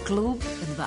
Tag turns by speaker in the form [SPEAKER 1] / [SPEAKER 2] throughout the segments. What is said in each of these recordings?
[SPEAKER 1] Klub 2.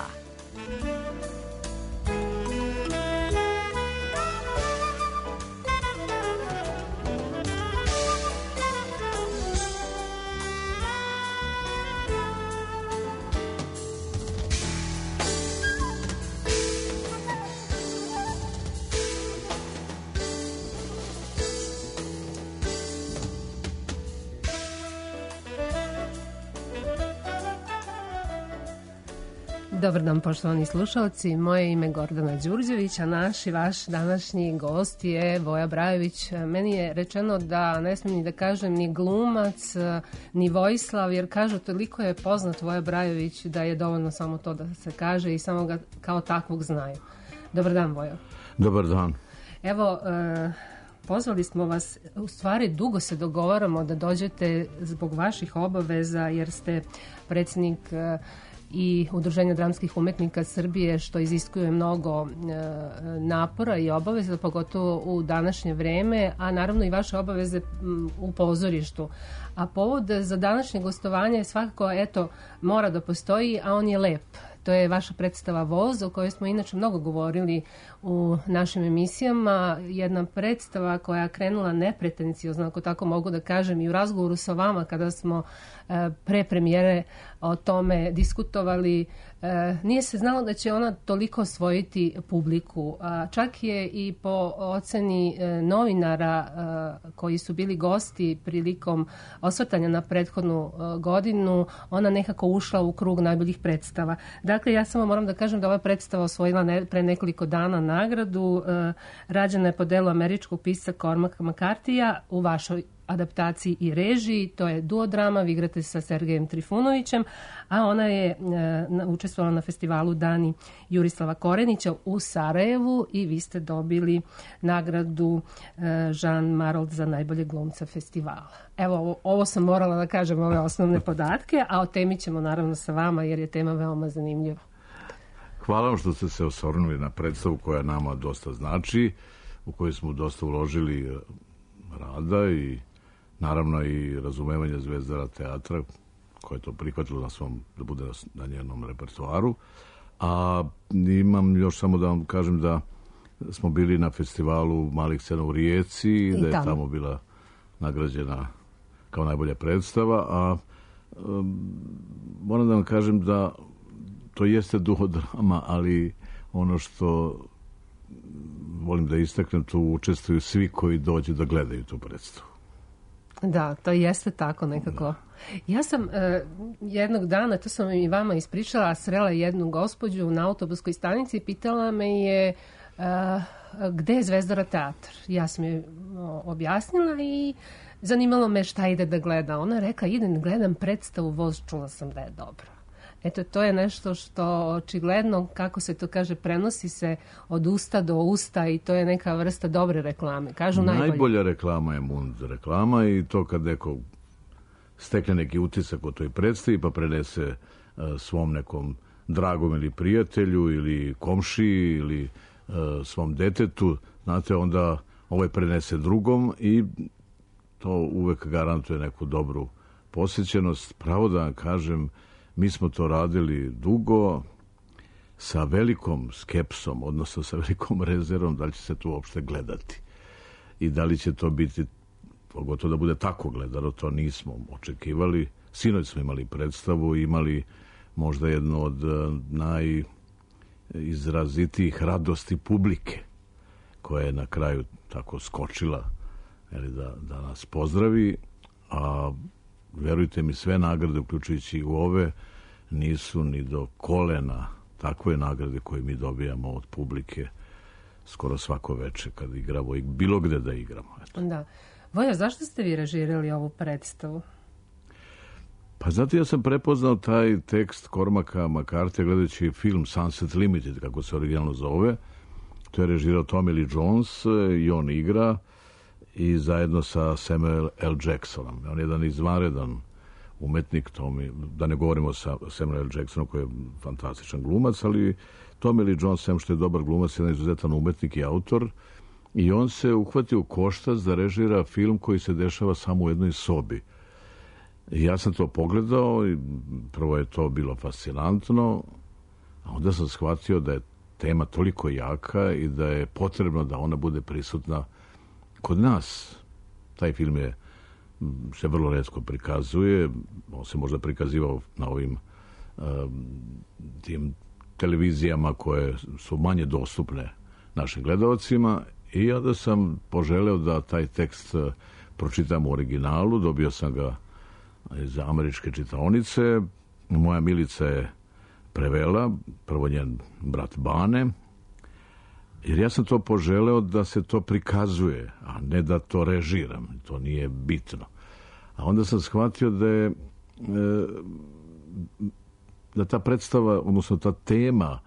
[SPEAKER 1] Dobar dan, poštovani slušalci. Moje ime je Gordana Đurđević, a naš i vaš današnji gost je Voja Brajović. Meni je rečeno da ne smijem ni da kažem ni glumac, ni Vojislav, jer kažu toliko je poznat Voja Brajović da je dovoljno samo to da se kaže i samo ga kao takvog znaju. Dobar dan, Vojo.
[SPEAKER 2] Dobar dan.
[SPEAKER 1] Evo, pozvali smo vas, u stvari dugo se dogovaramo da dođete zbog vaših obaveza, jer ste predsjednik i Udruženja dramskih umetnika Srbije, što iziskuje mnogo napora i obaveza, pogotovo u današnje vreme, a naravno i vaše obaveze u pozorištu. A povod za današnje gostovanje je svakako, mora da postoji, a on je lep. To je vaša predstava Voz, o kojoj smo inače mnogo govorili u našim emisijama. Jedna predstava koja je krenula nepretenciozno, ako tako mogu da kažem, i u razgovoru sa vama kada smo pre premijere o tome diskutovali. Nije se znalo da će ona toliko osvojiti publiku. Čak je i po oceni novinara koji su bili gosti prilikom osvrtanja na prethodnu godinu, ona nekako ušla u krug najboljih predstava. Dakle, ja samo moram da kažem da ova predstava osvojila pre nekoliko dana nagradu. Rađena je po delu američkog pisca Cormaca McCarthyja u vašoj adaptaciji i režiji. To je duodrama, vi igrate sa Sergejem Trifunovićem, a ona je učestvovala na festivalu Dani Jurislava Korenića u Sarajevu i vi ste dobili nagradu Jean Marold za najbolje glumca festivala. Evo, ovo sam morala da kažem, ove osnovne podatke, a o temi ćemo naravno sa vama, jer je tema veoma zanimljiva.
[SPEAKER 2] Hvala vam što ste se osvrnuli na predstavu koja nama dosta znači, u kojoj smo dosta uložili rada i naravno i razumevanje Zvezdara teatra, koje je to prihvatilo na svom, da bude na njenom repertoaru. A imam još samo da vam kažem da smo bili na festivalu malih scena u Rijeci i da je tamo bila nagrađena kao najbolja predstava, a moram da vam kažem da to jeste duodrama, ali ono što volim da istaknem, tu učestvuju svi koji dođu da gledaju tu predstavu.
[SPEAKER 1] Da, to jeste tako nekako. Da. Ja sam jednog dana, to sam i vama ispričala, srela jednu gospođu na autobuskoj stanici i pitala me je gde je Zvezdara teatr. Ja sam je objasnila i zanimalo me šta ide da gleda. Ona je rekla, idem gledam predstavu Voz, čula sam da je dobro. Eto, to je nešto što očigledno, kako se to kaže, prenosi se od usta do usta i to je neka vrsta dobre reklame. Kažu
[SPEAKER 2] najbolja reklama je Mund reklama i to kad neko stekne neki utisak o toj predstavi pa prenese svom nekom dragom ili prijatelju ili komšiji ili svom detetu, znate, onda ovaj prenese drugom i to uvek garantuje neku dobru posjećenost. Pravo da vam kažem, mi smo to radili dugo, sa velikom skepsom, odnosno sa velikom rezervom da li će se to uopšte gledati. I da li će to biti, pogotovo da bude tako gledano, to nismo očekivali. Sinoć smo imali predstavu, imali možda jednu od najizrazitijih radosti publike, koja je na kraju tako skočila da nas pozdravi, a verujte mi, sve nagrade, uključujući i ove, nisu ni do kolena takve nagrade koje mi dobijamo od publike skoro svako veče kad igramo i bilo gde da igramo. Eto.
[SPEAKER 1] Da. Voja, zašto ste vi režirali ovu predstavu?
[SPEAKER 2] Pa znate, ja sam prepoznao taj tekst Cormaca McCarthyja gledajući film Sunset Limited, kako se originalno zove. To je režirao Tommy Lee Jones i on igra i zajedno sa Samuel L. Jacksonom. On je jedan izvanredan umetnik, da ne govorimo sa Samuel L. Jacksonom koji je fantastičan glumac, ali Tommy Lee Jones, sem što je dobar glumac, je jedan izuzetan umetnik i autor, i on se uhvatio u koštac da režira film koji se dešava samo u jednoj sobi. Ja sam to pogledao i prvo je to bilo fascinantno, a onda sam shvatio da je tema toliko jaka i da je potrebno da ona bude prisutna kod nas. Taj film se vrlo retko prikazuje, on se možda prikazivao na ovim tim televizijama koje su manje dostupne našim gledalcima i onda sam poželeo da taj tekst pročitam u originalu, dobio sam ga iz američke čitaonice, moja Milica je prevela, prvo njen brat Bane, jer ja sam to poželeo da se to prikazuje, a ne da to režiram, to nije bitno. A onda sam shvatio da ta predstava, odnosno ta tema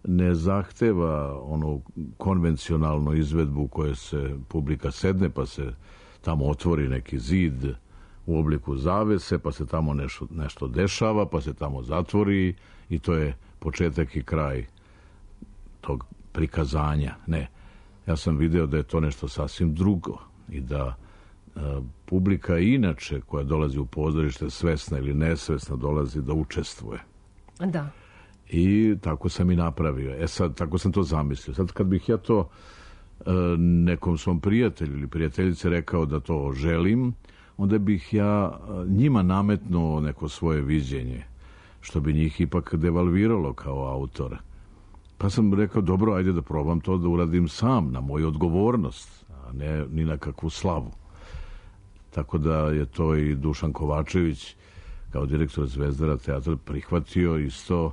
[SPEAKER 2] ne zahteva onu konvencionalnu izvedbu koje se publika sedne, pa se tamo otvori neki zid u obliku zavese, pa se tamo nešto dešava, pa se tamo zatvori i to je početak i kraj tog prikazanja. Ne, ja sam video da je to nešto sasvim drugo i da publika inače koja dolazi u pozorište svesna ili nesvesna dolazi da učestvuje.
[SPEAKER 1] Da.
[SPEAKER 2] I tako sam i napravio. Sad, tako sam to zamislio. Sad kad bih ja to nekom svom prijatelju ili prijateljice rekao da to želim, onda bih ja njima nametnuo neko svoje viđenje, što bi njih ipak devalviralo kao autora. Pa sam rekao, dobro, ajde da probam to da uradim sam, na moju odgovornost, a ne ni na kakvu slavu. Tako da je to i Dušan Kovačević, kao direktor Zvezdara teatra, prihvatio isto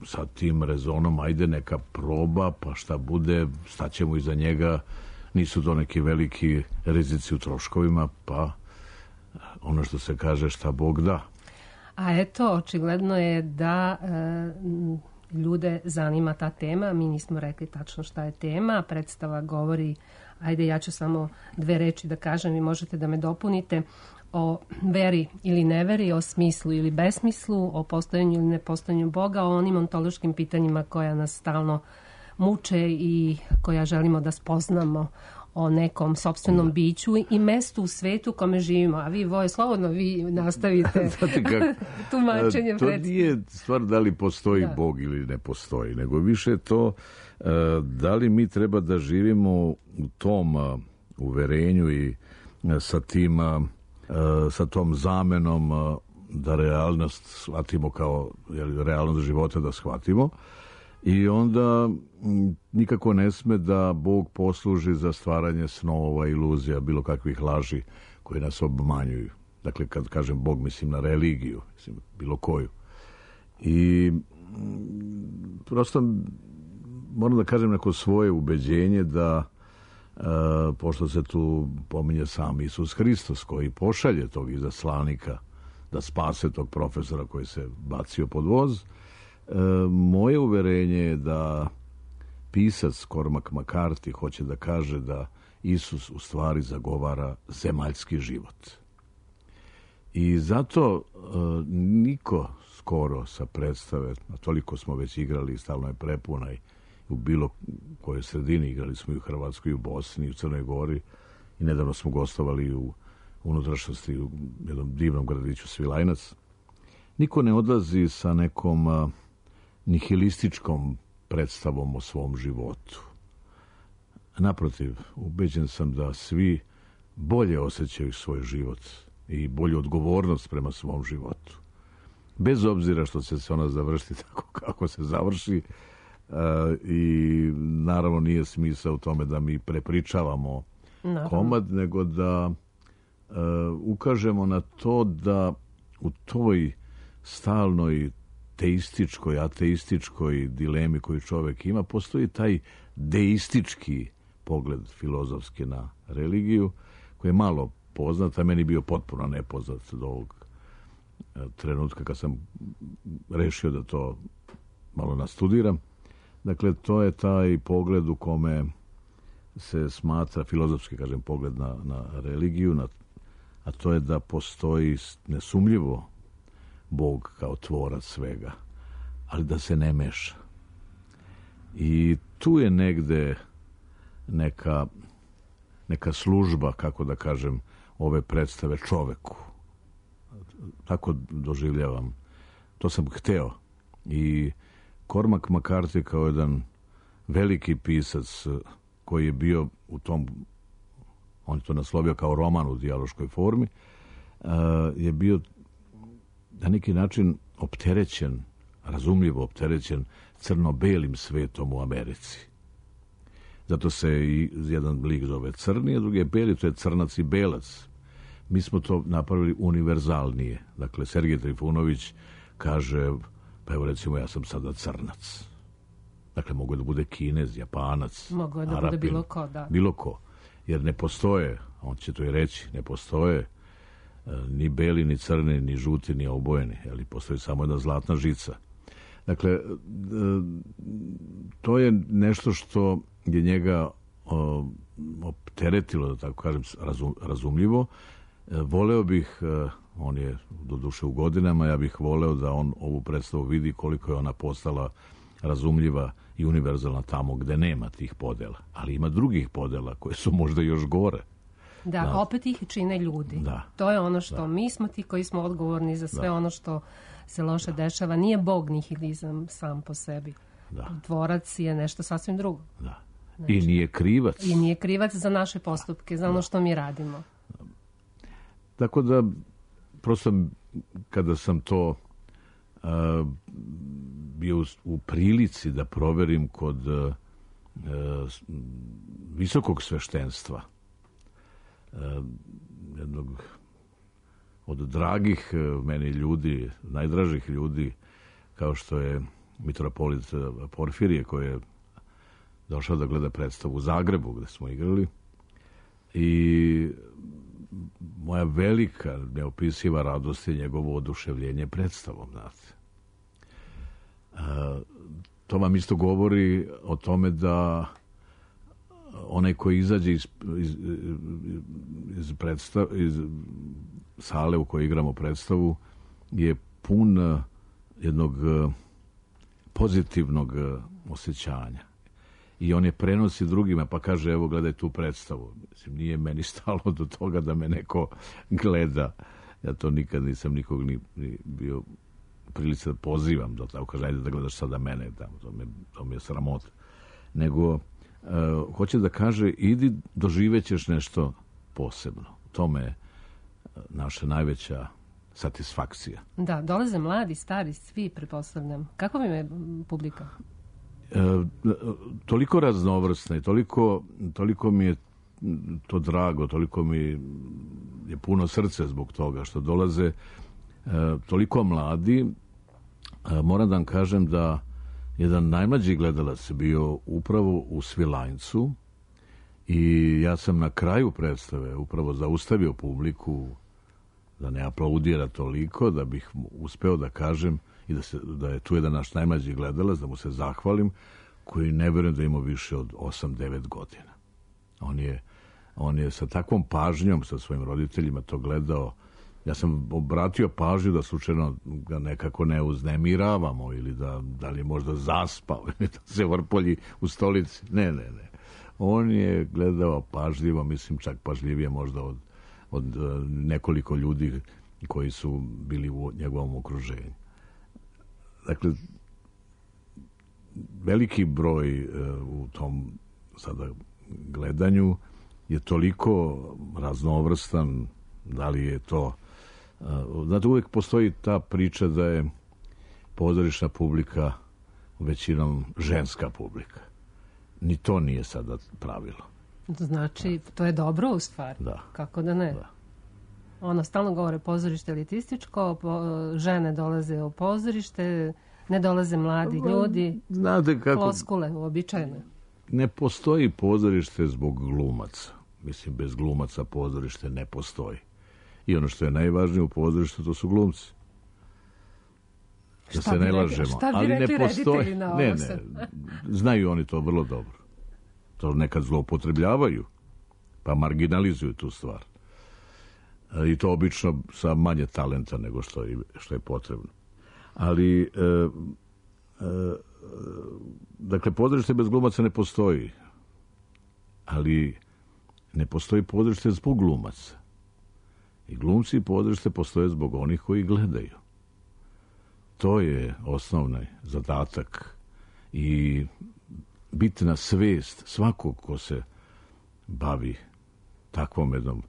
[SPEAKER 2] sa tim rezonom, ajde neka proba, pa šta bude, staćemo iza njega, nisu to neki veliki rizici u troškovima, pa ono što se kaže šta Bog da.
[SPEAKER 1] A eto, očigledno je da ljude zanima ta tema. Mi nismo rekli tačno šta je tema. Predstava govori, ajde ja ću samo 2 reči da kažem i možete da me dopunite, o veri ili neveri, o smislu ili besmislu, o postojanju ili nepostojanju Boga, o onim ontološkim pitanjima koja nas stalno muče i koja želimo da spoznamo, o nekom sopstvenom biću i mestu u svetu u kome živimo. A vi, Voje, slobodno vi nastavite tumačenje.
[SPEAKER 2] To nije stvar da li postoji Bog ili ne postoji, nego više to da li mi treba da živimo u tom uverenju i sa tom zamenom da realnost shvatimo kao realnost života da shvatimo. I onda nikako ne sme da Bog posluži za stvaranje snova, iluzija, bilo kakvih laži koje nas obmanjuju. Dakle, kad kažem Bog, mislim na religiju, mislim bilo koju. I prosto moram da kažem neko svoje ubeđenje da pošto se tu pominje sam Isus Hristos koji pošalje tog izaslanika da spase tog profesora koji se bacio pod voz, moje uverenje je da pisac Cormac McCarthy hoće da kaže da Isus u stvari zagovara zemaljski život. I zato niko skoro sa predstave, a toliko smo već igrali, stalno je prepuna i u bilo kojoj sredini, igrali smo i u Hrvatskoj, i u Bosni, i u Crnoj Gori i nedavno smo gostovali u unutrašnjosti u jednom divnom gradiću Svilajnac. Niko ne odlazi sa nekom nihilističkom predstavom o svom životu. Naprotiv, ubeđen sam da svi bolje osjećaju svoj život i bolju odgovornost prema svom životu. Bez obzira što će se ona završiti tako kako se završi, i naravno nije smisao u tome da mi prepričavamo komad, nego da ukažemo na to da u toj stalnoj teističkoj, ateističkoj dilemi koju čovjek ima, postoji taj deistički pogled filozofski na religiju, koji je malo poznat, a meni bio potpuno nepoznat do ovog trenutka kad sam rešio da to malo nastudiram. Dakle, to je taj pogled u kome se smatra, filozofski, kažem, pogled na religiju, a to je da postoji nesumljivo Bog kao tvorac svega, ali da se ne meša. I tu je negde neka služba, kako da kažem, ove predstave čoveku. Tako doživljavam. To sam hteo. I Cormac McCarthy kao jedan veliki pisac koji je bio u tom, on je to naslovio kao roman u dijaloškoj formi, je bio na neki način opterećen, razumljivo opterećen crno-belim svetom u Americi. Zato se i jedan lik zove crni, a drugi je beli, to je crnac i belac. Mi smo to napravili univerzalnije. Dakle, Sergej Trifunović kaže, pa evo recimo ja sam sada crnac. Dakle, mogu da bude Kinez, Japanac,
[SPEAKER 1] mogu da
[SPEAKER 2] Arapin,
[SPEAKER 1] bude bilo ko, da.
[SPEAKER 2] Bilo ko. Jer ne postoje, on će to i reći, ne postoje ni beli, ni crni, ni žuti, ni obojeni. Ali postoji samo jedna zlatna žica. Dakle, to je nešto što je njega opteretilo, da tako kažem, razumljivo. Voleo bih, on je doduše u godinama, ja bih voleo da on ovu predstavu vidi koliko je ona postala razumljiva i univerzalna tamo gde nema tih podela. Ali ima drugih podela koje su možda još gore.
[SPEAKER 1] Da, opet ih čine ljudi.
[SPEAKER 2] Da.
[SPEAKER 1] To je ono što mi smo ti koji smo odgovorni za sve ono što se loše dešava. Nije Bog nihilizam sam po sebi. Tvorac je nešto sasvim drugo.
[SPEAKER 2] Da. Znači, i nije krivac.
[SPEAKER 1] I nije krivac za naše postupke, za ono što mi radimo.
[SPEAKER 2] Tako da, prosto kada sam to bio u prilici da proverim kod visokog sveštenstva, jednog od dragih meni ljudi, najdražih ljudi, kao što je mitropolit Porfirije, koji je došao da gleda predstavu u Zagrebu, gde smo igrali. I moja velika, neopisiva radost je njegovo oduševljenje predstavom, znate. To vam isto govori o tome da onaj koji izađe iz sale u kojoj igramo predstavu je pun jednog pozitivnog osjećanja. I on je prenosi drugima, pa kaže, evo, gledaj tu predstavu. Mislim, nije meni stalo do toga da me neko gleda. Ja to nikad nisam nikog ni bio prilici da pozivam, da tako kaže, ajde da gledaš sada mene, to mi je sramota. Nego, hoće da kaže, idi, doživećeš nešto posebno. To me je naša najveća satisfakcija.
[SPEAKER 1] Da, dolaze mladi, stari, svi, pretpostavljam. Kako vam je publika?
[SPEAKER 2] Toliko raznovrsna i toliko mi je to drago, toliko mi je puno srce zbog toga što dolaze toliko mladi. Moram da vam kažem da jedan najmlađi gledalac je bio upravo u Svilajncu i ja sam na kraju predstave upravo zaustavio publiku da ne aplaudira toliko, da bih uspeo da kažem i da je tu jedan naš najmlađi gledalac, da mu se zahvalim, koji ne verujem da ima više od 8-9 godina. On je sa takvom pažnjom sa svojim roditeljima to gledao. Ja sam obratio pažnju da slučajno ga nekako ne uznemiravamo ili da li je možda zaspao ili da se vrpolji u stolici. Ne. On je gledao pažljivo, mislim čak pažljivije možda od nekoliko ljudi koji su bili u njegovom okruženju. Dakle, veliki broj u tom sada gledanju je toliko raznovrstan, da li je to... Znate, uvijek postoji ta priča da je pozorišna publika većinom ženska publika. Ni to nije sada pravilo.
[SPEAKER 1] Znači, to je dobro u stvari.
[SPEAKER 2] Da.
[SPEAKER 1] Kako da ne? Da. Stalno govore pozorište elitističko, žene dolaze u pozorište, ne dolaze mladi ljudi.
[SPEAKER 2] Znate kako...
[SPEAKER 1] Floskule, uobičajene.
[SPEAKER 2] Ne postoji pozorište zbog glumaca. Mislim, bez glumaca pozorište ne postoji. I ono što je najvažnije u pozorištu, to su glumci. Da se ne lažemo.
[SPEAKER 1] Šta bi rekli reditelji na ovo?
[SPEAKER 2] Ne. Znaju oni to vrlo dobro. To nekad zloupotrebljavaju, pa marginalizuju tu stvar. I to obično sa manje talenta nego što je potrebno. Ali, dakle, pozorište bez glumaca ne postoji. Ali ne postoji pozorište zbog glumaca. I glumci i pozorište postoje zbog onih koji gledaju. To je osnovni zadatak i bitna svest svakog ko se bavi takvom jednom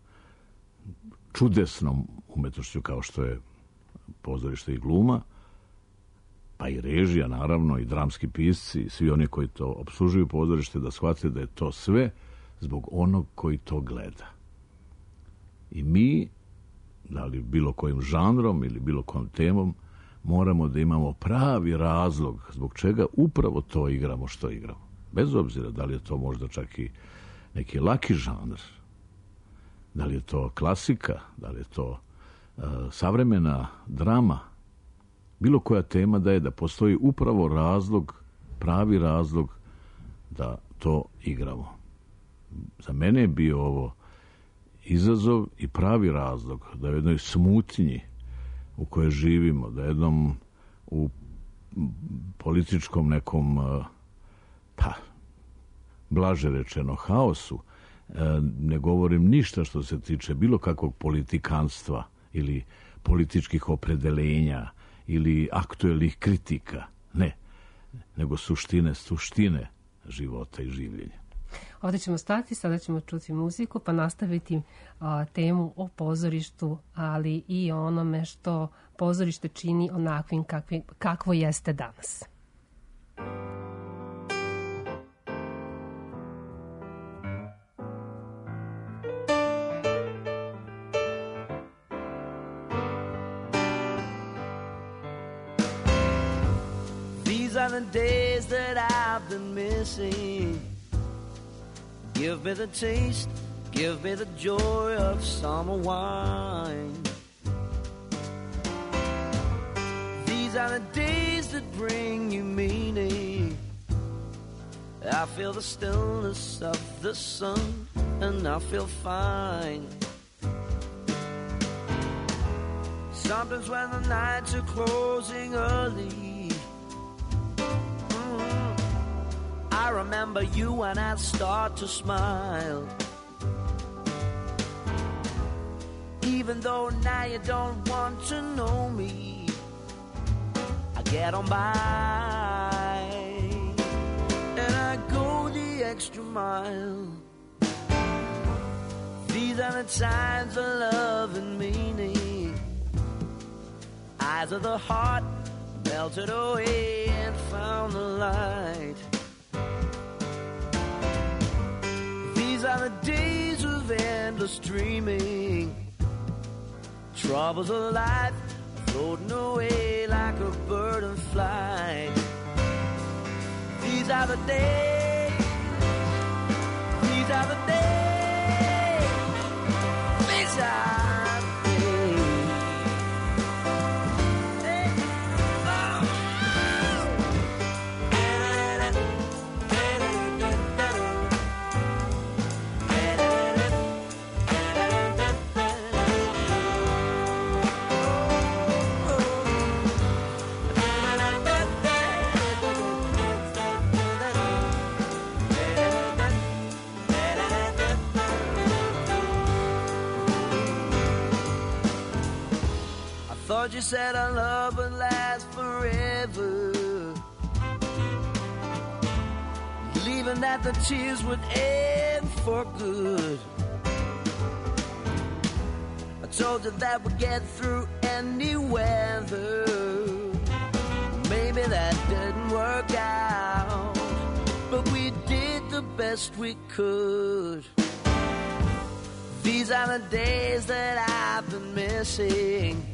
[SPEAKER 2] čudesnom umetnošću kao što je pozorište i gluma, pa i režija, naravno, i dramski pisci, i svi oni koji to opslužuju pozorište, da shvate da je to sve zbog onog koji to gleda. I mi, da li bilo kojim žanrom ili bilo kojom temom, moramo da imamo pravi razlog zbog čega upravo to igramo što igramo. Bez obzira da li je to možda čak i neki laki žanr, da li je to klasika, da li je to savremena drama, bilo koja tema da je da postoji upravo razlog, pravi razlog da to igramo. Za mene je bio ovo izazov i pravi razlog da u jednoj smutnji u kojoj živimo, da jednom u političkom nekom, pa, blaže rečeno, haosu, ne govorim ništa što se tiče bilo kakvog politikanstva ili političkih opredelenja ili aktuelnih kritika. Ne, nego suštine života i življenja.
[SPEAKER 1] Ovdje ćemo stati, sada ćemo čuti muziku pa nastaviti temu o pozorištu, ali i o onome što pozorište čini onakvim kakvo jeste danas.
[SPEAKER 3] These are the days that I've been missing. Give me the taste, give me the joy of summer wine. These are the days that bring you meaning. I feel the stillness of the sun and I feel fine. Sometimes when the nights are closing early, I remember you and I start to smile. Even though now you don't want to know me, I get on by and I go the extra mile. These are the times of love and meaning. Eyes of the heart melted away and found the light. These are the days of endless dreaming. Troubles of life floating away like a bird in flight. These are the days. These are the days. These are the days. You said our love would last forever, believing that the tears would end for good. I told you that we'd get through any weather. Maybe that didn't work out, but we did the best we could. These are the days that I've been missing.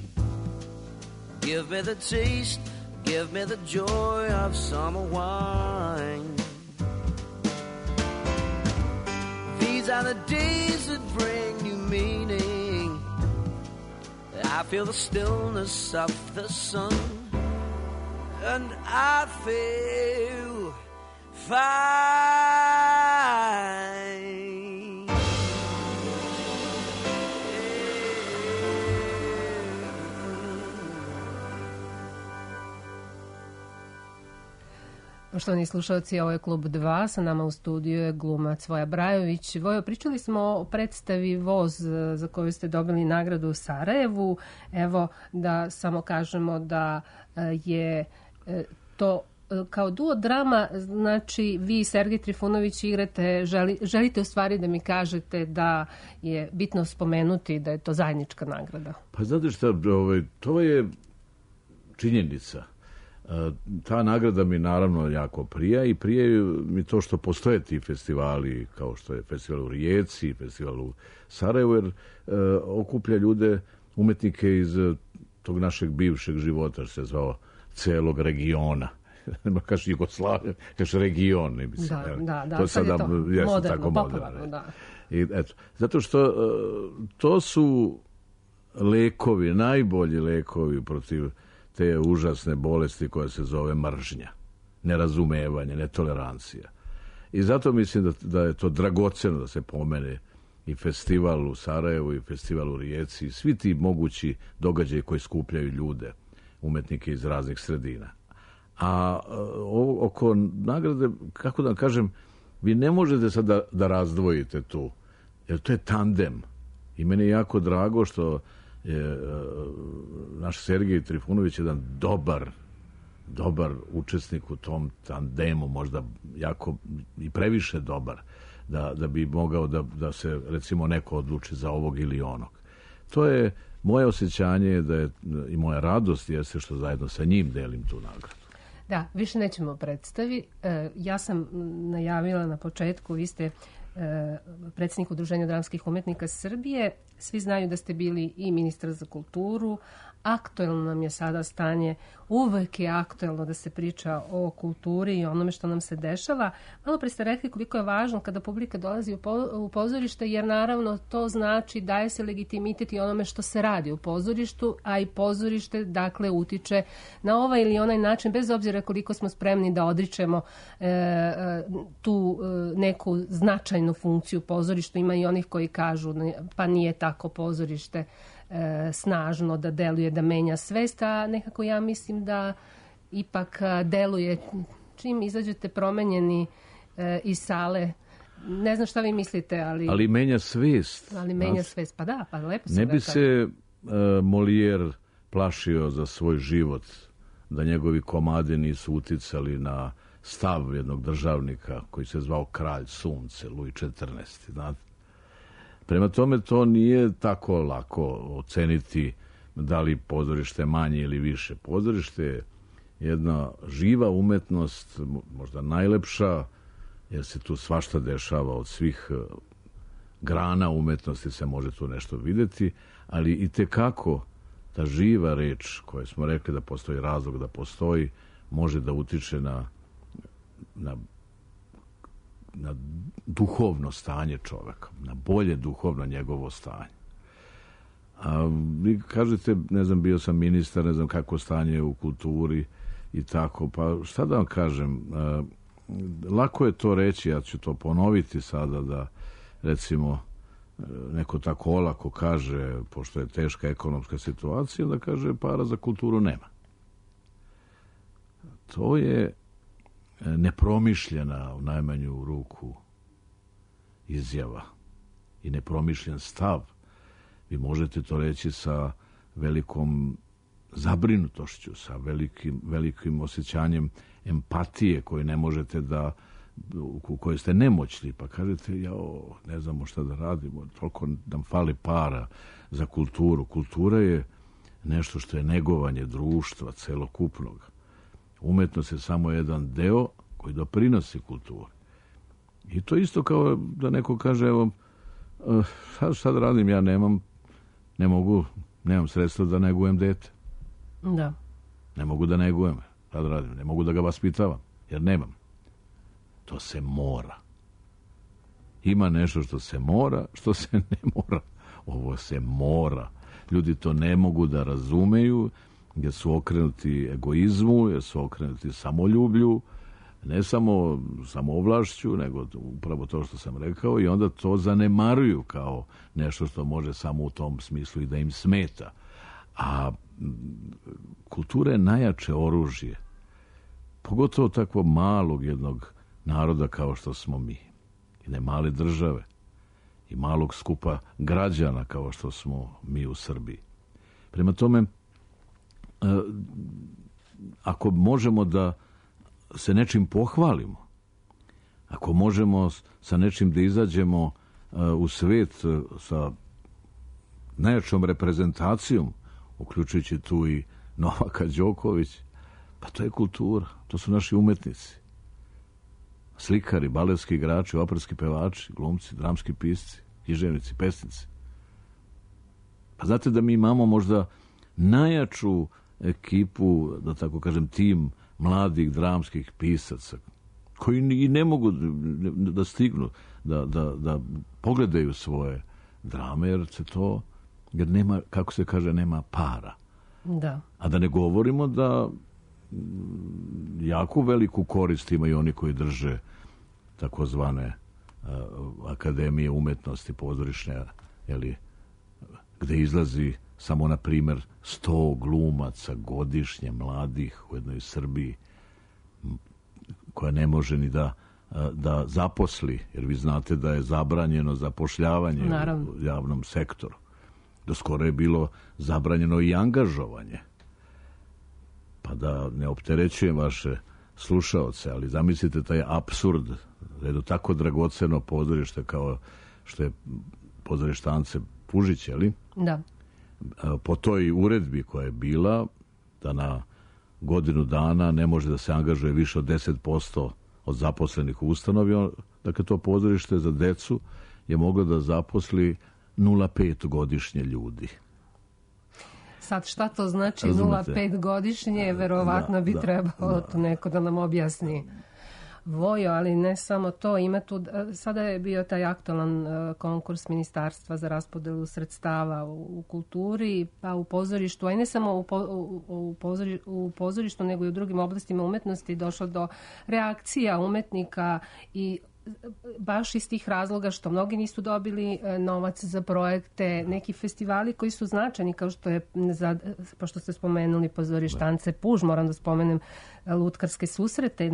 [SPEAKER 3] Give me the taste, give me the joy of summer wine. These are the days that bring you meaning. I feel the stillness of the sun and I feel fine.
[SPEAKER 1] Poštovani slušalci, ovo je Klub 2, sa nama u studiju je glumac Voja Brajović. Vojo, pričali smo o predstavi Voz za koju ste dobili nagradu u Sarajevu. Evo da samo kažemo da je to kao duo drama, znači vi i Sergej Trifunović igrate, želite u stvari da mi kažete da je bitno spomenuti da je to zajednička nagrada.
[SPEAKER 2] Pa znate šta, to je činjenica. Ta nagrada mi naravno jako prija i prije mi to što postoje ti festivali, kao što je festival u Rijeci, festival u Sarajevu, jer okuplja ljude, umetnike iz tog našeg bivšeg života, što se zvao celog regiona. Nema kaže Jugoslavija, kaže region. Ne mislim,
[SPEAKER 1] da,
[SPEAKER 2] to sada je
[SPEAKER 1] moderno,
[SPEAKER 2] tako
[SPEAKER 1] popularno, da.
[SPEAKER 2] I eto, zato što to su lekovi, najbolji lekovi protiv te užasne bolesti koja se zove mržnja, nerazumevanje, netolerancija. I zato mislim da je to dragoceno da se pomene i festival u Sarajevu i festival u Rijeci i svi ti mogući događaji koji skupljaju ljude, umetnike iz raznih sredina. A oko nagrade, kako da kažem, vi ne možete sad da razdvojite tu, jer to je tandem. I meni je jako drago što je naš Sergej Trifunović jedan dobar učesnik u tom tandemu, možda jako i previše dobar, da bi mogao da se recimo neko odluči za ovog ili onog. To je moje osjećanje da je, i moja radost jeste što zajedno sa njim delim tu nagradu.
[SPEAKER 1] Da, više nećemo predstavi. Ja sam najavila na početku, vi ste predsjednik Udruženja dramskih umetnika Srbije. Svi znaju da ste bili i ministar za kulturu. Aktuelno nam je sada stanje, uvek je aktuelno da se priča o kulturi i onome što nam se dešava. Malo pre ste rekli koliko je važno kada publika dolazi u pozorište, jer naravno to znači daje se legitimitet i onome što se radi u pozorištu, a i pozorište dakle utiče na ovaj ili onaj način, bez obzira koliko smo spremni da odričemo tu neku značajnu funkciju pozorištu. Ima i onih koji kažu pa nije tako pozorište snažno da deluje, da menja svest, a nekako ja mislim da ipak deluje čim izađete promenjeni iz sale. Ne znam šta vi mislite, ali
[SPEAKER 2] menja svest.
[SPEAKER 1] Ali menja svest, pa da, pa lepo se
[SPEAKER 2] ne bi se Molière plašio za svoj život da njegovi komadi nisu uticali na stav jednog državnika koji se zvao Kralj sunce, Louis XIV, znate. Prema tome, to nije tako lako oceniti da li pozorište manje ili više. Pozorište je jedna živa umetnost, možda najlepša, jer se tu svašta dešava od svih grana umetnosti, se može tu nešto videti, ali i tekako ta živa reč, koja smo rekli da postoji razlog da postoji, može da utiče na duhovno stanje čoveka, na bolje duhovno njegovo stanje. A vi kažete, ne znam, bio sam ministar, ne znam kako stanje u kulturi i tako, pa šta da vam kažem, lako je to reći, ja ću to ponoviti sada, da recimo neko tako olako kaže, pošto je teška ekonomska situacija, da kaže para za kulturu nema. To je nepromišljena u najmanju ruku izjava i nepromišljen stav. Vi možete to reći sa velikom zabrinutošću, sa velikim osjećanjem empatije koje ne možete u kojoj ste nemoćni, pa kažete, ne znamo šta da radimo, toliko nam fali para za kulturu. Kultura je nešto što je negovanje društva celokupnog. Umetnost je samo jedan deo koji doprinosi kulturi. I to isto kao da neko kaže, evo, šta da radim, ja nemam sredstva da negujem dete.
[SPEAKER 1] Da.
[SPEAKER 2] Ne mogu da negujem, šta da radim, ne mogu da ga vaspitavam, jer nemam. To se mora. Ima nešto što se mora, što se ne mora. Ovo se mora. Ljudi to ne mogu da razumeju, jer su okrenuti egoizmu, jer su okrenuti samoljublju, ne samo samoovlašću, nego upravo to što sam rekao, i onda to zanemaruju kao nešto što može samo u tom smislu i da im smeta. A kultura je najjače oružje pogotovo takvog malog jednog naroda kao što smo mi, jedne male države i malog skupa građana kao što smo mi u Srbiji. Prema tome, ako možemo da se nečim pohvalimo, ako možemo sa nečim da izađemo u svet sa najjačom reprezentacijom, uključujući tu i Novaka Đoković, pa to je kultura, to su naši umetnici. Slikari, baletski igrači, operski pevači, glumci, dramski pisci, književnici, pesnici. Pa znate da mi imamo možda najjaču ekipu, da tako kažem, tim mladih dramskih pisaca, koji i ne mogu da stignu, da pogledaju svoje drame, jer nema, kako se kaže, nema para.
[SPEAKER 1] Da.
[SPEAKER 2] A da ne govorimo da jako veliku korist imaju oni koji drže takozvane akademije umetnosti pozorišne, gde izlazi samo, na primjer, 100 glumaca godišnje mladih u jednoj Srbiji, koja ne može ni da zaposli, jer vi znate da je zabranjeno zapošljavanje u javnom sektoru. Do skoro je bilo zabranjeno i angažovanje. Pa da ne opterećujem vaše slušaoce, ali zamislite taj apsurd, da je tako dragoceno pozorište kao što je pozorište Ance Pužić, ali?
[SPEAKER 1] Da.
[SPEAKER 2] Po toj uredbi koja je bila, da na godinu dana ne može da se angažuje više od 10% od zaposlenih u ustanovi, dakle to pozorište za decu je moglo da zaposli 0,5 godišnje ljudi.
[SPEAKER 1] Sad šta to znači 0,5 godišnje, verovatno bi trebalo to neko da nam objasni. Vojo, ali ne samo to, ima tu, sada je bio taj aktualan konkurs Ministarstva za raspodelu sredstava u kulturi, pa u pozorištu, a i ne samo u pozorištu, nego i u drugim oblastima umetnosti došlo do reakcija umetnika i baš iz tih razloga što mnogi nisu dobili novac za projekte, neki festivali koji su značajni, kao što je, pošto ste spomenuli pozorište Ance Puž, moram da spomenem Lutkarske susrete,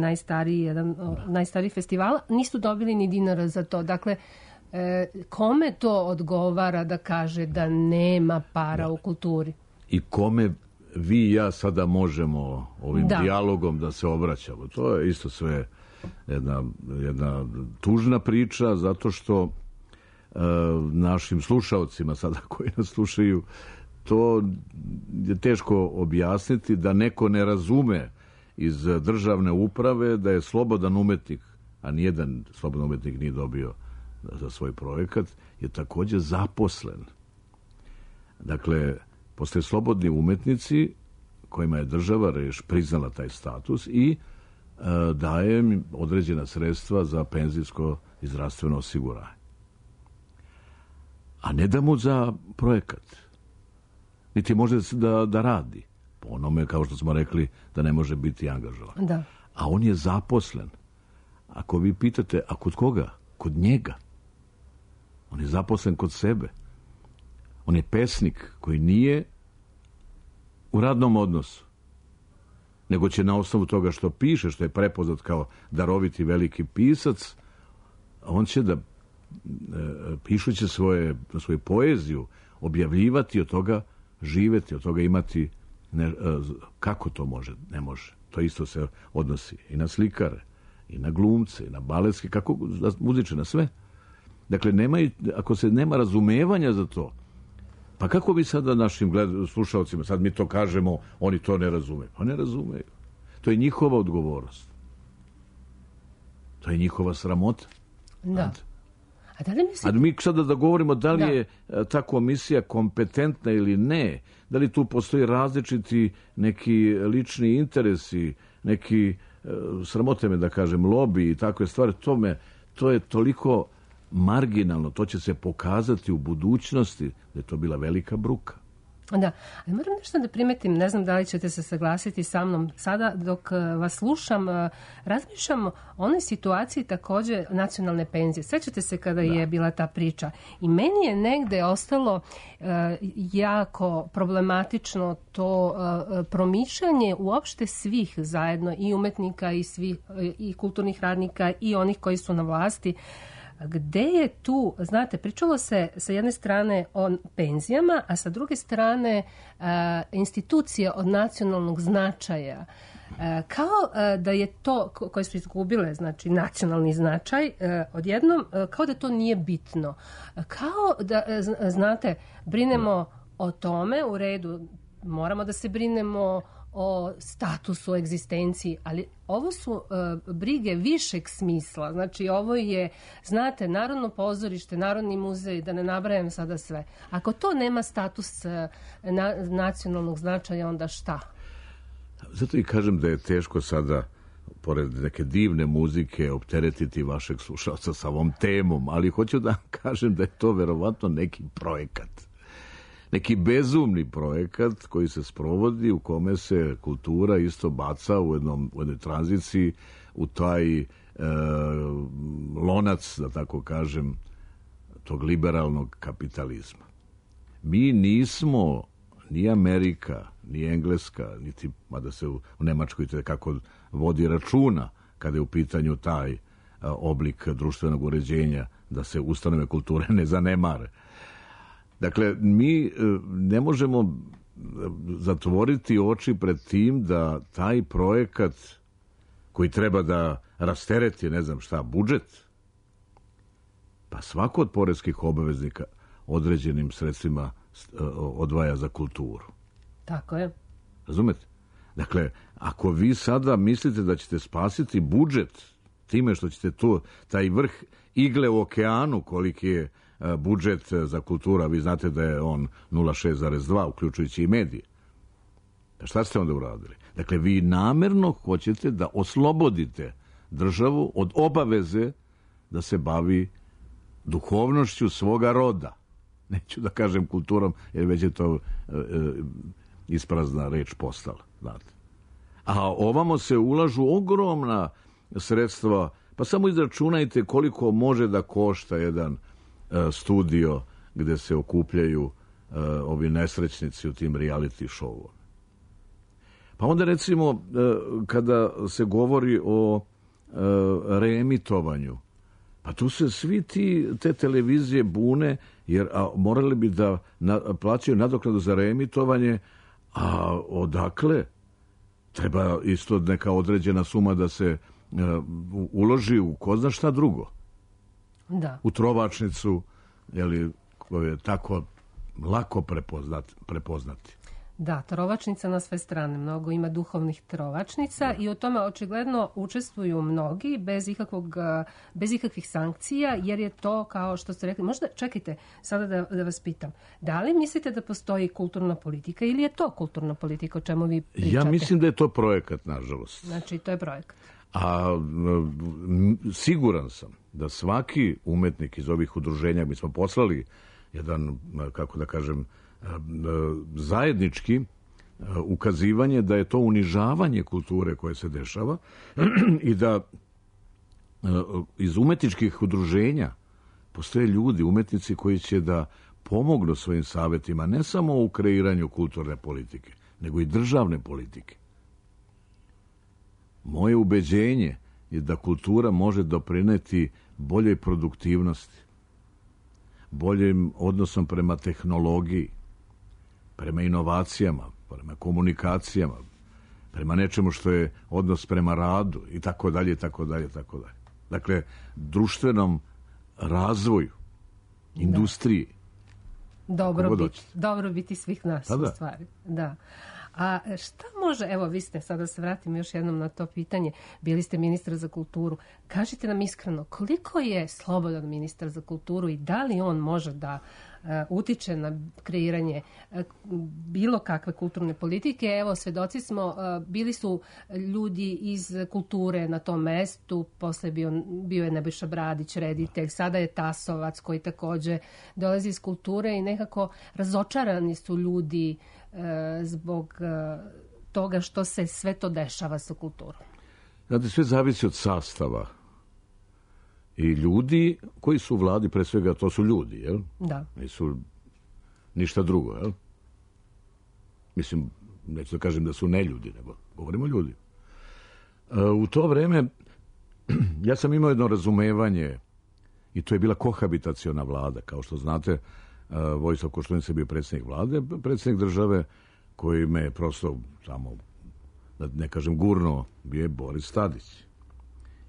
[SPEAKER 1] najstariji festival, nisu dobili ni dinara za to. Dakle, kome to odgovara da kaže da nema para u kulturi?
[SPEAKER 2] I kome vi i ja sada možemo ovim dijalogom da se obraćamo? To je isto sve jedna tužna priča, zato što našim slušaocima sada koji nas slušaju, to je teško objasniti, da neko ne razume iz državne uprave da je slobodan umetnik, a nijedan slobodan umetnik nije dobio za svoj projekat, je također zaposlen. Dakle, postoje slobodni umetnici kojima je država priznala taj status i daje im određena sredstva za penzijsko i zdravstveno osiguranje. A ne da mu za projekat. Niti može da radi. Po onome, kao što smo rekli, da ne može biti angažovan.
[SPEAKER 1] Da.
[SPEAKER 2] A on je zaposlen. Ako vi pitate, a kod koga? Kod njega. On je zaposlen kod sebe. On je pesnik koji nije u radnom odnosu, nego će na osnovu toga što piše, što je prepoznat kao daroviti veliki pisac, on će da, pišući svoju poeziju, objavljivati, od toga živeti, od toga imati, kako to može? Ne može. To isto se odnosi i na slikare, i na glumce, i na baletske, kako muziče, na sve. Dakle, ako se nema razumevanja za to, pa kako bi sada našim slušalcima, sad mi to kažemo, oni to ne razumeju. Pa ne razumeju. To je njihova odgovornost. To je njihova sramota.
[SPEAKER 1] Da.
[SPEAKER 2] A mi sada da govorimo da li je ta komisija kompetentna ili ne, da li tu postoji različiti neki lični interesi, neki, sramote me da kažem, lobi i takve stvari, to je toliko marginalno, to će se pokazati u budućnosti da je to bila velika bruka.
[SPEAKER 1] Da, ali moram nešto da primetim, ne znam da li ćete se saglasiti sa mnom. Sada dok vas slušam, razmišljam o onoj situaciji također nacionalne penzije. Sećate se kada je bila ta priča. I meni je negde ostalo jako problematično to promišljanje uopšte svih zajedno, i umetnika i kulturnih radnika i onih koji su na vlasti. Gde je tu, znate, pričalo se sa jedne strane o penzijama, a sa druge strane institucije od nacionalnog značaja. Kao da je to, koje su izgubile, znači nacionalni značaj, odjednom, kao da to nije bitno. Kao da, znate, brinemo o tome, u redu, moramo da se brinemo o statusu, egzistenciji, ali ovo su brige višeg smisla. Znači, ovo je, znate, Narodno pozorište, Narodni muzej, da ne nabrajam sada sve. Ako to nema status nacionalnog značaja, onda šta?
[SPEAKER 2] Zato i kažem da je teško sada, pored neke divne muzike, opteretiti vašeg slušalca sa ovom temom, ali hoću da kažem da je to verovatno neki projekat. Neki bezumni projekat koji se sprovodi, u kome se kultura isto baca u jednoj tranziciji, u taj lonac, da tako kažem, tog liberalnog kapitalizma. Mi nismo ni Amerika, ni Engleska, niti, mada se u Nemačkoj kako vodi računa kada je u pitanju taj oblik društvenog uređenja, da se ustanove kulture ne zanemare. Dakle, mi ne možemo zatvoriti oči pred tim da taj projekat koji treba da rastereti, ne znam šta, budžet, pa svako od poreskih obaveznika određenim sredstvima odvaja za kulturu.
[SPEAKER 1] Tako je.
[SPEAKER 2] Razumete? Dakle, ako vi sada mislite da ćete spasiti budžet time što ćete taj vrh igle u okeanu, koliki je budžet za kultura, vi znate da je on 0,6,2, uključujući i medije. Pa šta ste onda uradili? Dakle, vi namerno hoćete da oslobodite državu od obaveze da se bavi duhovnošću svoga roda. Neću da kažem kulturom, jer već je to isprazna reč postala. Znate. A ovamo se ulažu ogromna sredstva, pa samo izračunajte koliko može da košta jedan studio gde se okupljaju ovi nesrećnici u tim reality showu. Pa onda recimo kada se govori o reemitovanju, pa tu se svi te televizije bune, jer morali bi da plaćaju nadoknadu za reemitovanje, a odakle? Treba isto neka određena suma da se uloži u ko zna šta drugo.
[SPEAKER 1] Da. U
[SPEAKER 2] trovačnicu, koju je tako lako prepoznati.
[SPEAKER 1] Da, trovačnica na sve strane. Mnogo ima duhovnih trovačnica i u tome očigledno učestvuju mnogi bez ikakvih sankcija, jer je to, kao što ste rekli, možda, čekajte, sada da vas pitam, da li mislite da postoji kulturna politika ili je to kulturna politika o čemu vi pričate?
[SPEAKER 2] Ja mislim da je to projekat, nažalost.
[SPEAKER 1] Znači, to je projekat.
[SPEAKER 2] A siguran sam da svaki umetnik iz ovih udruženja, mi smo poslali jedan, kako da kažem, zajednički ukazivanje da je to unižavanje kulture koje se dešava i da iz umetničkih udruženja postoje ljudi, umetnici koji će da pomognu svojim savjetima ne samo u kreiranju kulturne politike, nego i državne politike. Moje ubeđenje je da kultura može doprineti boljoj produktivnosti, boljim odnosom prema tehnologiji, prema inovacijama, prema komunikacijama, prema nečemu što je odnos prema radu i tako dalje, i tako dalje, i tako dalje. Dakle, društvenom razvoju, industriji.
[SPEAKER 1] Dobro biti svih nas, u stvari. Da. A šta može, evo vi ste, sada se vratimo još jednom na to pitanje, bili ste ministar za kulturu, kažite nam iskreno, koliko je slobodan ministar za kulturu i da li on može da utiče na kreiranje bilo kakve kulturne politike? Evo, svedoci smo, bili su ljudi iz kulture na tom mestu, posle bio je Nebojša Bradić, reditelj, sada je Tasovac koji takođe dolazi iz kulture i nekako razočarani su ljudi zbog toga što se sve to dešava sa kulturom.
[SPEAKER 2] Znate, sve zavisi od sastava. I ljudi koji su u vladi, pre svega, to su ljudi, jel?
[SPEAKER 1] Da.
[SPEAKER 2] Nisu ništa drugo, jel? Mislim, neću da kažem da su neljudi, nego govorimo o ljudi. U to vreme ja sam imao jedno razumevanje i to je bila kohabitaciona vlada. Kao što znate, Vojislav Koštunica je bio predsjednik vlade, predsjednik države koji me prosto samo, da ne kažem gurno, bio je Boris Tadić.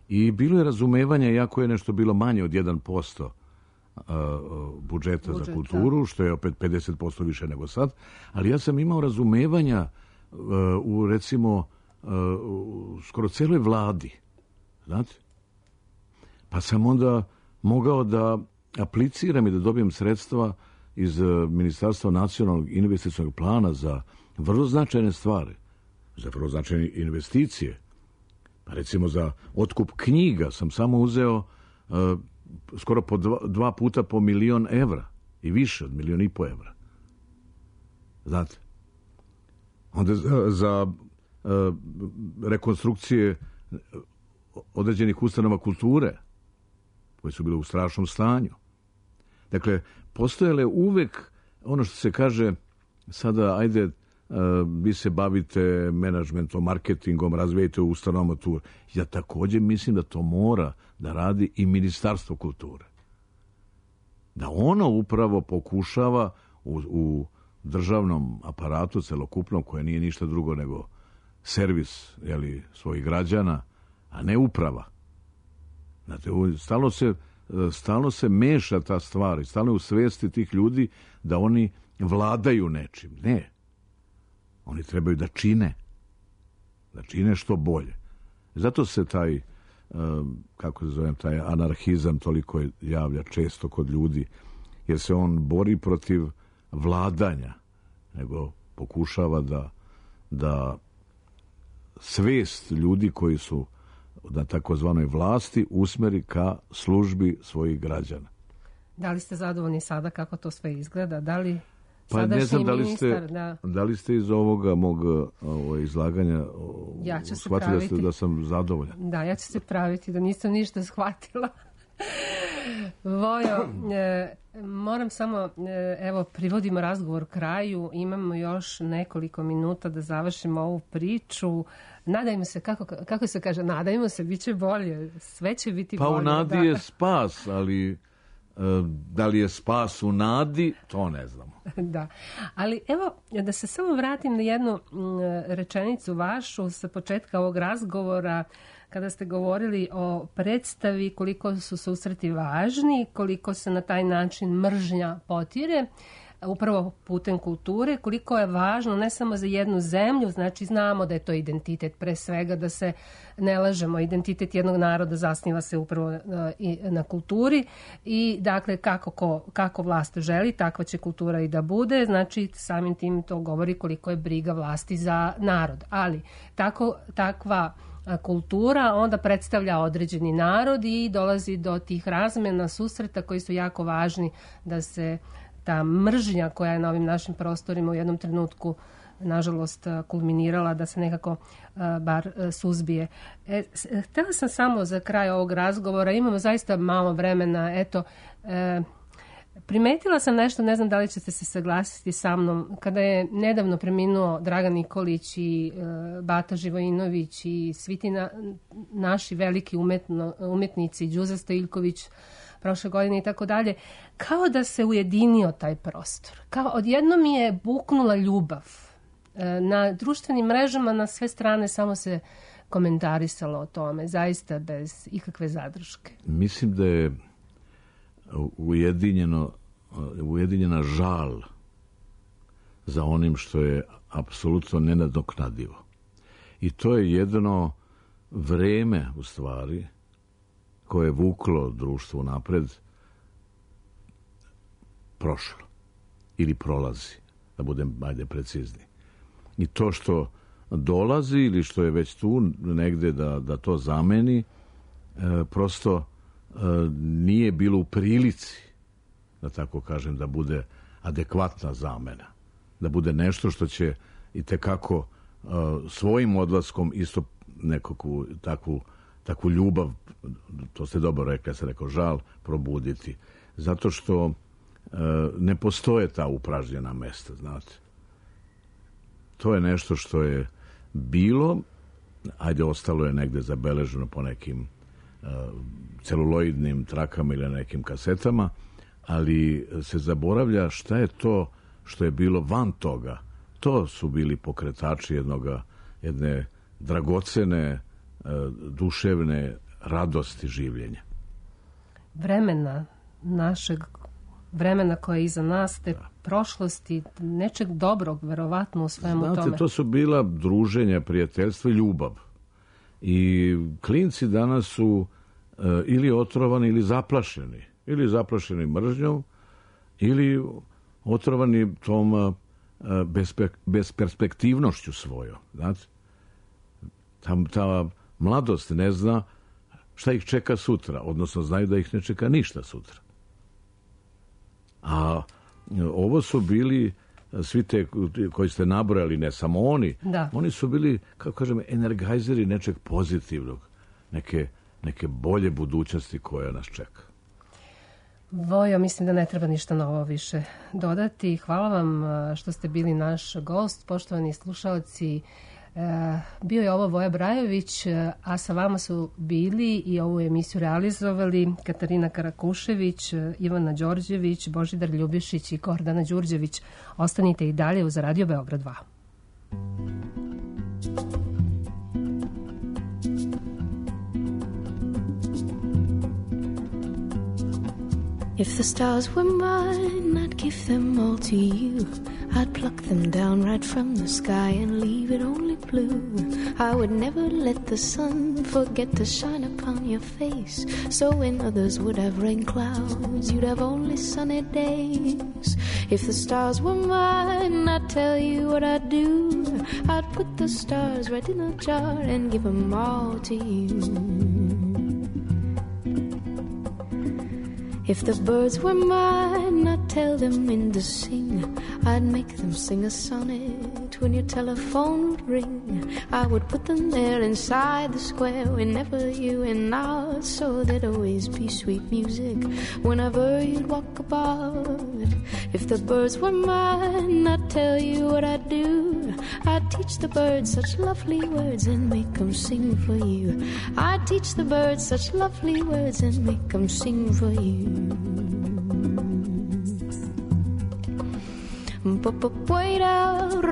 [SPEAKER 2] I bilo je razumevanje, jako je nešto bilo manje od 1% budžeta za kulturu, što je opet 50% više nego sad, ali ja sam imao razumevanja u, recimo, skoro celoj vladi, znate? Pa sam onda mogao da apliciram i da dobijem sredstva iz Ministarstva nacionalnog investicionog plana za vrlo značajne stvari, za vrlo značajne investicije. Pa recimo za otkup knjiga sam samo uzeo skoro po dva puta po 1.000.000 evra i više od 1.500.000 evra. Znate? Onda za rekonstrukcije određenih ustanova kulture koje su bile u strašnom stanju. Dakle, postojale uvek ono što se kaže sada, ajde, vi se bavite menadžmentom, marketingom, razvijete u ustanovama kulture. Ja također mislim da to mora da radi i Ministarstvo kulture. Da ono upravo pokušava u državnom aparatu celokupnom, koje nije ništa drugo nego servis, jeli, svojih građana, a ne uprava. Znate, stalno se meša ta stvar i stalno je u svesti tih ljudi da oni vladaju nečim. Ne. Oni trebaju da čine što bolje. Zato se taj, kako se zovem, taj anarhizam toliko javlja često kod ljudi, jer se on bori protiv vladanja, nego pokušava da svest ljudi koji su na takozvanoj vlasti usmeri ka službi svojih građana.
[SPEAKER 1] Da li ste zadovoljni sada kako to sve izgleda? Da li
[SPEAKER 2] pa ne znam da li ste iz ovoga mog izlaganja shvatili da sam zadovoljan.
[SPEAKER 1] Da, ja ću se praviti da nisam ništa shvatila. Vojo, moram samo, evo, privodimo razgovor kraju, imamo još nekoliko minuta da završimo ovu priču. Nadajmo se, kako se kaže, nadajmo se, bit će bolje, sve će biti bolje.
[SPEAKER 2] Pa u nadi je spas, ali da li je spas u nadi, to ne znamo.
[SPEAKER 1] Da, ali evo, da se samo vratim na jednu rečenicu vašu sa početka ovog razgovora, kada ste govorili o predstavi, koliko su susreti važni, koliko se na taj način mržnja potire, upravo putem kulture, koliko je važno ne samo za jednu zemlju, znači znamo da je to identitet, pre svega da se ne lažemo, identitet jednog naroda zasniva se upravo na kulturi i dakle kako vlast želi, takva će kultura i da bude, znači samim tim to govori koliko je briga vlasti za narod, ali takva kultura onda predstavlja određeni narod i dolazi do tih razmena, susreta koji su jako važni da se ta mržnja koja je na ovim našim prostorima u jednom trenutku nažalost kulminirala, da se nekako bar suzbije. Htela sam samo za kraj ovog razgovora, imamo zaista malo vremena, eto, primetila sam nešto, ne znam da li ćete se saglasiti sa mnom, kada je nedavno preminuo Dragan Nikolić i Bata Živojinović i svi ti naši veliki umetnici, Đuza Stojiljković, prošle godine i tako dalje, kao da se ujedinio taj prostor. Kao odjednom mi je buknula ljubav. Na društvenim mrežama na sve strane samo se komentarisalo o tome, zaista bez ikakve zadrške.
[SPEAKER 2] Mislim da je ujedinjena žal za onim što je apsolutno nenadoknadivo. I to je jedno vreme, u stvari, koje je vuklo društvo napred, prošlo. Ili prolazi, da budem precizni. I to što dolazi ili što je već tu negde da to zameni, prosto nije bilo u prilici, da tako kažem, da bude adekvatna zamena. Da bude nešto što će i tekako svojim odlaskom isto nekakvu takvu ljubav, to ste dobro rekli, ja sam rekao žal, probuditi. Zato što ne postoje ta upražnjena mesta, znate. To je nešto što je bilo, ostalo je negde zabeleženo po nekim celuloidnim trakama ili nekim kasetama, ali se zaboravlja šta je to što je bilo van toga. To su bili pokretači jedne dragocene, duševne radosti življenja. Vremena koje je iza nas, te prošlosti, nečeg dobrog, verovatno u svemu tome. Znate, to su bila druženja, prijateljstva i ljubav. I klinci danas su ili otrovani ili zaplašeni. Ili zaplašeni mržnjom, ili otrovani tom besperspektivnošću svojom. Znate? Ta mladost ne zna šta ih čeka sutra, odnosno znaju da ih ne čeka ništa sutra. A ovo su bili svi te koji ste nabrojali, ne samo oni, oni su bili, kako kažem, energizeri nečeg pozitivnog, neke bolje budućnosti koja nas čeka.
[SPEAKER 1] Vojo, mislim da ne treba ništa novo više dodati. Hvala vam što ste bili naš gost, poštovani slušaoci. Bio je ovo Voja Brajović, a sa vama su bili i ovu emisiju realizovali Katarina Karakušević, Ivana Đorđević, Božidar Ljubišić i Gordana Đurđević. Ostanite i dalje uz Radio Beograd 2.
[SPEAKER 4] If the stars were mine, I'd give them all to you. I'd pluck them down right from the sky and leave it only blue. I would never let the sun forget to shine upon your face. So when others would have rain clouds, you'd have only sunny days. If the stars were mine, I'd tell you what I'd do. I'd put the stars right in a jar and give them all to you. If the birds were mine, I'd tell them when to sing. I'd make them sing a sonnet when your telephone would ring. I would put them there inside the square whenever you went out, so there'd always be sweet music whenever you'd walk about. If the birds were mine, I'd tell you what I'd do. I'd teach the birds such lovely words and make them sing for you. I'd teach the birds such lovely words and make them sing for you. Wait out,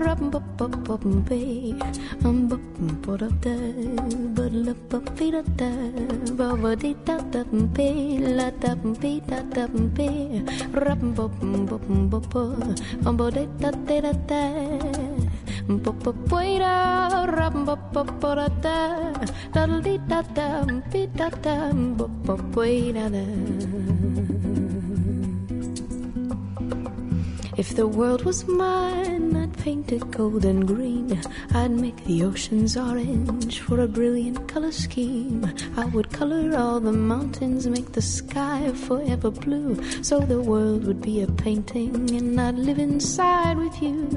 [SPEAKER 4] if the world was mine, I'd paint it gold and green. I'd make the oceans orange for a brilliant color scheme. I would color all the mountains, make the sky forever blue, so the world would be a painting and I'd live inside with you.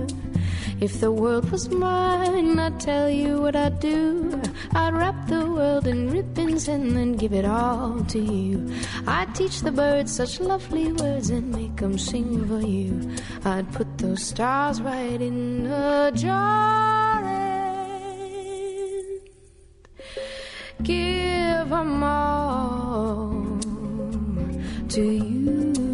[SPEAKER 4] If the world was mine, I'd tell you what I'd do. I'd wrap the world in ribbons and then give it all to you. I'd teach the birds such lovely words and make them sing for you. I'd put those stars right in a jar and give them all to you.